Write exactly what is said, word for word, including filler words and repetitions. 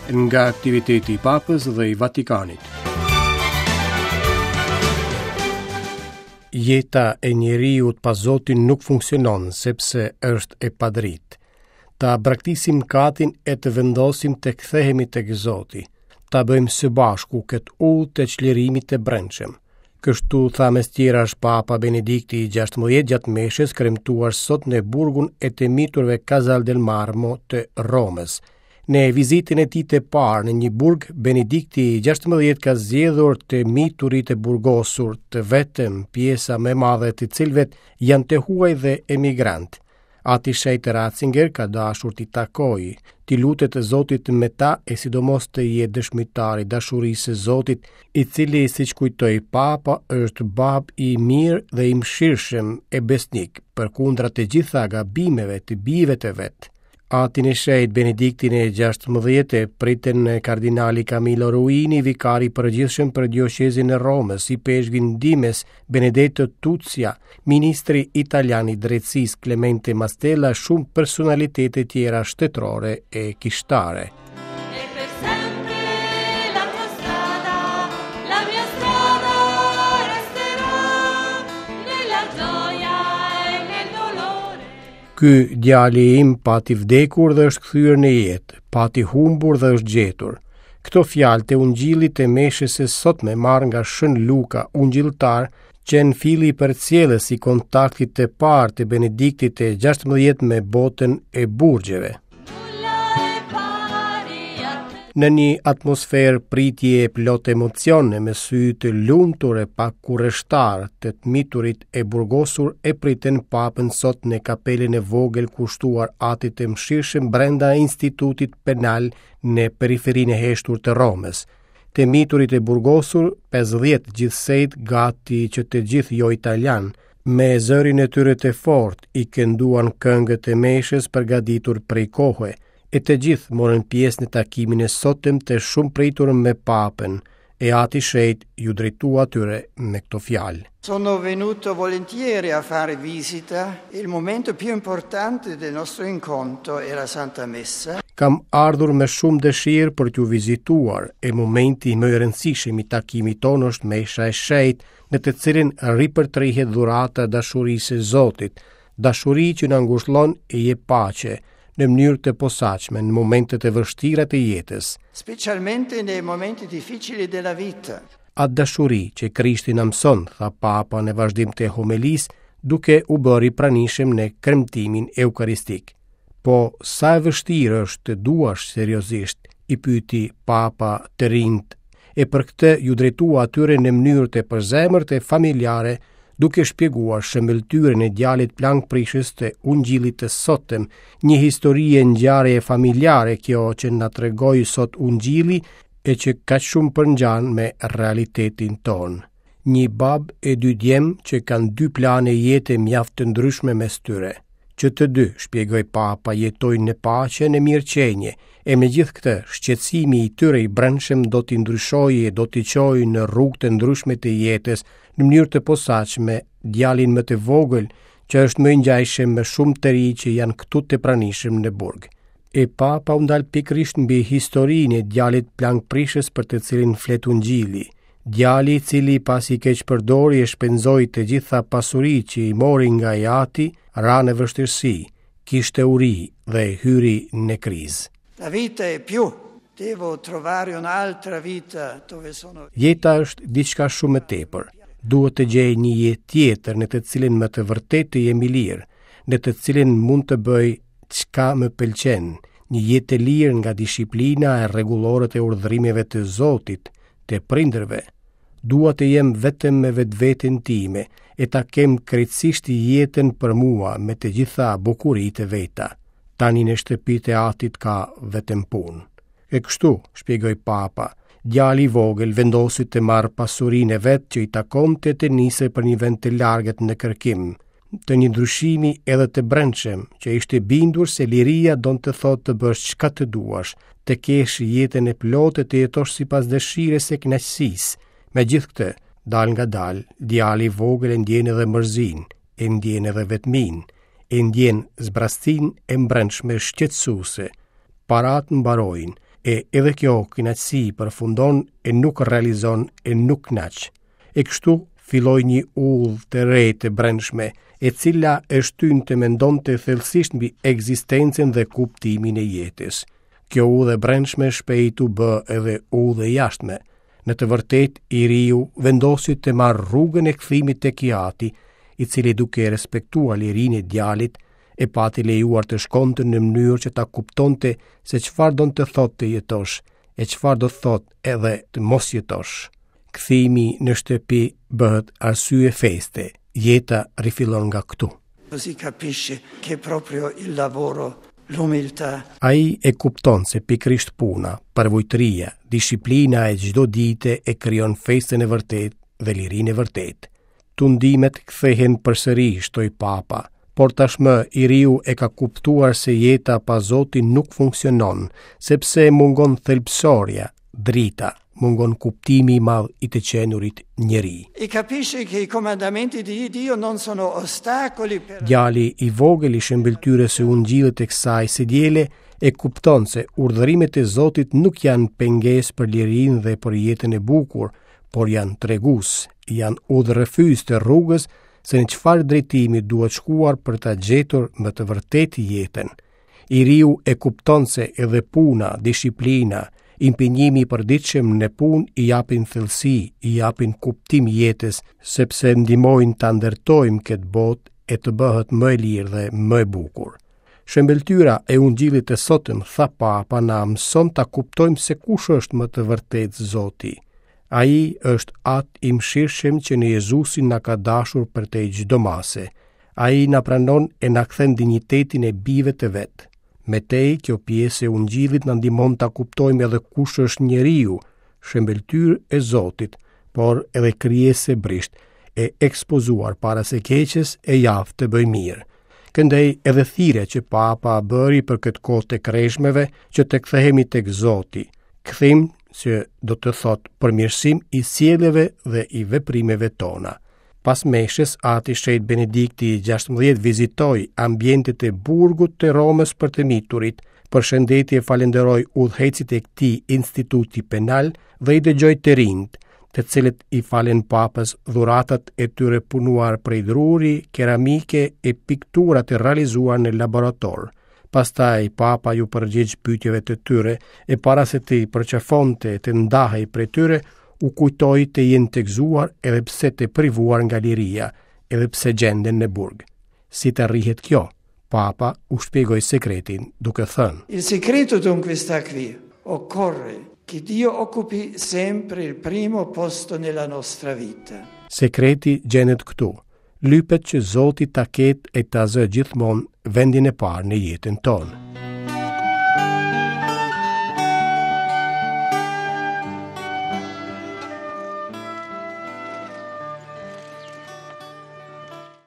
Nga aktiviteti i Papës dhe i Vatikanit. Jeta e njeriut pa Zotin nuk funksionon sepse është e padritë. Ta braktisim mëkatin e të vendosim të kthehemi tek Zoti. Ta bëjmë së bashku këtë udhë të çlirimit të brendshëm. Kështu tha mes tjerash Papa Benedikti i gjashtëmbëdhjetë gjatë meshës kremtuar sot në burgun e të miturve Casal del Marmo të Romës. Në vizitën e tij të parë në një burg, Benedikti i gjashtëmbëdhjetë ka zgjedhur të miturit e burgosur, të vetëm, pjesa më e madhe të cilëve janë të huaj dhe emigrantë. Ati Shenjt Ratzinger ka dashur t'i takojë, t'i lutet Zotit me ta e sidomos të jetë dëshmitar i dashurisë së Zotit, i cili, siç kujtoi Papa, është bab i mirë dhe i mëshirshëm e besnik, përkundra të gjitha gabimeve të bijve të vet. Atin e Shenjtë Benediktin e gjashtëmbëdhjetë e pritën kardinali Camillo Ruini, vikari i përgjithshëm për dioqezin e Romës, ipeshkvi ndihmës Benedetto Tuzia, ministri italian i drejtësisë Clemente Mastella, shumë personalitete tjera shtetërore e kishtare. Ky djali im pati vdekur dhe është kthyer në jetë, pati humbur dhe është gjetur. Këto fjalë të ungjillit të meshës së sotme marrë nga Shën Luka, ungjilltar, qenë filli përcjellës i kontaktit të parë të Benediktit të gjashtëmbëdhjetë me botën e burgjeve. Në një atmosferë pritje plot emocione, me sy të lumtur e pak kureshtar, të të miturit e burgosur e pritën Papën sot në kapelën e vogël kushtuar Atit të Mëshirshëm brenda Institutit Penal në periferinë e heshtur të Romës. Të miturit e burgosur, pesëdhjetë gjithsejt, gati që të gjithë jo italian, me zërin e tyre të fortë i kënduan këngët e meshës përgatitur prej kohe, e të gjithë morën pjesë në takimin e sotëm të shumë pritur me Papën, e Ati Shenjt ju drejtua atyre me këto fjalë. Sono venuto volentieri a fare visita. Il momento più importante del nostro incontro è la Santa Messa. Kam ardhur me shumë dëshirë për t'ju vizituar, e momenti më i rëndësishëm i takimit tonë është mesha e shenjtë, në të cilin ripërtrihet dhurata e dashurisë së Zotit, dashuri që na ngushllon e jep paqe, në mënyrë të posaçme në momentet e vështira të jetës. Specialmente nei momenti difficili della vita. Atë dashuri që Krishti na mëson, tha Papa në vazhdim të homelisë, duke u bërë i pranishëm në kremtimin eukaristik. Po sa e vështirë është të duash seriozisht, i pyeti Papa të rinjt, e për këtë ju drejtua atyre në mënyrë të përzemërt e familjare, duke shpjeguar shëmbëlltyrën e djalit plankprishës të ungjillit të sotëm, një histori e ngjarje familjare kjo që na tregoi sot ungjilli e që kaq shumë përngjan me realitetin tonë. Një bab e dy djem që kanë dy plane jete mjaft të ndryshme mes tyre. Që të dy, shpjegoi Papa, jetojnë në paqe, në mirëqenie, e megjithë këtë, shqetësimi i tyre i brendshëm do t'i ndryshojë e do t'i çojë në rrugë të ndryshme të jetës, në mënyrë të posaçme, djalin më të vogël, që është më i ngjashëm me shumë të ri që janë këtu të pranishëm në burg. E Papa u ndal pikërisht mbi historinë e djalit plankprishës për të cilin flet ungjilli, djali i cili pasi keq përdori e shpenzoi të gjitha pasuritë që i mori nga i ati, ra në vështirësi, kishte uri dhe hyri në krizë. La vita è più, devo trovare un'altra vita dove sono. Jeta është diçka shumë më tepër. Duhet të gjej një jetë tjetër në të cilin më të vërtetë të jem i lirë, në të cilin mund të bëj çka më pëlqen, një jetë të lirë nga disiplina e rregulloret e urdhërimeve të Zotit, të prindërve. Dua të jem vetëm me vetveten time e ta kem krejtësisht jetën për mua me të gjitha bukuritë e veta. Tani në shtëpitë e atit ka vetëm punë. E kështu, shpjegoi Papa, djali i vogël vendosi të marrë pasurinë e vet që i takonte të nisej për një vend të largët në kërkim, të një ndryshimi edhe të brendshëm, që ishte bindur se liria don të thotë të bësh çka të duash, të kesh jetën e plotë e të jetosh sipas dëshirës e kënaqësisë. Megjithë këtë, dal nga dal, djali i vogël e ndjen edhe mërzinë, e ndjen edhe vetminë, e ndjen zbrastinë e mbrendshme shqetësuese. Parat mbarojnë, E edhe kjo kënaqësi përfundon e nuk realizon e nuk kënaq. E kështu filloi një udhë të re të brendshme, e cila e shtyn të mendonte thellësisht mbi ekzistencën dhe kuptimin e jetës. Kjo udhë e brendshme shpejt u bë edhe udhë e jashtme. Në të vërtetë, i riu vendosi të marrë rrugën e kthimit tek i ati, i cili duke respektuar lirinë e djalit, e pati lejuar të shkonte në mënyrë që ta kuptonte se çfarë do të thotë të jetosh, e çfarë do të thotë edhe të mos jetosh. Kthimi në shtëpi bëhet arsye feste, jeta rifillon nga këtu. Così capisce che proprio il lavoro, l'umiltà, Ai e kupton se pikërisht puna, përvujtëria, disiplina e çdo dite e krijon festën e vërtetë dhe lirinë e vërtetë. Tundimet kthehen përsëri, shtoi Papa, por tashmë i riu e ka kuptuar se jeta pa Zotin nuk funksionon, sepse mungon thelbësorja, drita, mungon kuptimi i madh i të qenurit njeri. E capisce che i comandamenti di Dio non sono ostacoli per Djali i vogël i shëmbëlltyrës së ungjillit të kësaj së diele e kupton se urdhërimet e Zotit nuk janë pengesë për lirinë dhe për jetën e bukur, por janë tregues, janë udhërrëfyes të rrugës se në çfarë drejtimi duhet shkuar për ta gjetur më të vërtetë jetën. I riu e kupton se edhe puna, disiplina, impenjimi i përditshëm në punë i japin thellësi, i japin kuptim jetës, sepse ndihmojnë ta ndërtojmë këtë botë e të bëhet më e lirë dhe më e bukur. Shëmbëlltyra e ungjillit të sotëm, tha Papa, na mëson ta kuptojmë se kush është më të vërtetë Zoti. Ai është Atë i mëshirshëm që në Jezusin na ka dashur për te çdo mase. Ai na pranon e na kthen dinjitetin e bijve të vet. Me tej, kjo pjesë e ungjillit na ndihmon ta kuptojmë edhe kush është njeriu, shëmbëlltyrë e Zotit, por edhe krijesë e brishtë, e ekspozuar para së keqes e jaftë të bëjë mirë. Këndej edhe thirrja që Papa bëri për këtë kohë të kreshmeve që të kthehemi tek Zoti, kthim që do të thotë përmirësim i sjelljeve dhe i veprimeve tona. Pas meshës, Ati Shenjt Benedikti i gjashtëmbëdhjetë vizitoi ambientet e burgut të Romës për të miturit, përshëndeti e falenderoi udhëheqësit e këtij instituti penal dhe i dëgjoi të rinjt, të cilët i falen Papës dhuratat e tyre punuar prej druri, keramike e piktura të realizuar në laborator. Pastaj Papa ju përgjigj pyetjeve të tyre e para se të i përqafonte e të ndahej prej tyre, u kujtoi të jenë të gëzuar edhe pse të privuar nga liria, edhe pse gjenden në burg. Si të arrihet kjo? Papa u shpjegoi sekretin duke thënë: Il segreto dunque sta qui. Occorre che Dio occupi sempre il primo posto nella nostra vita. Sekreti gjendet këtu. Lypet që Zoti ta ketë e ta zë gjithmonë vendin e parë në jetën tonë.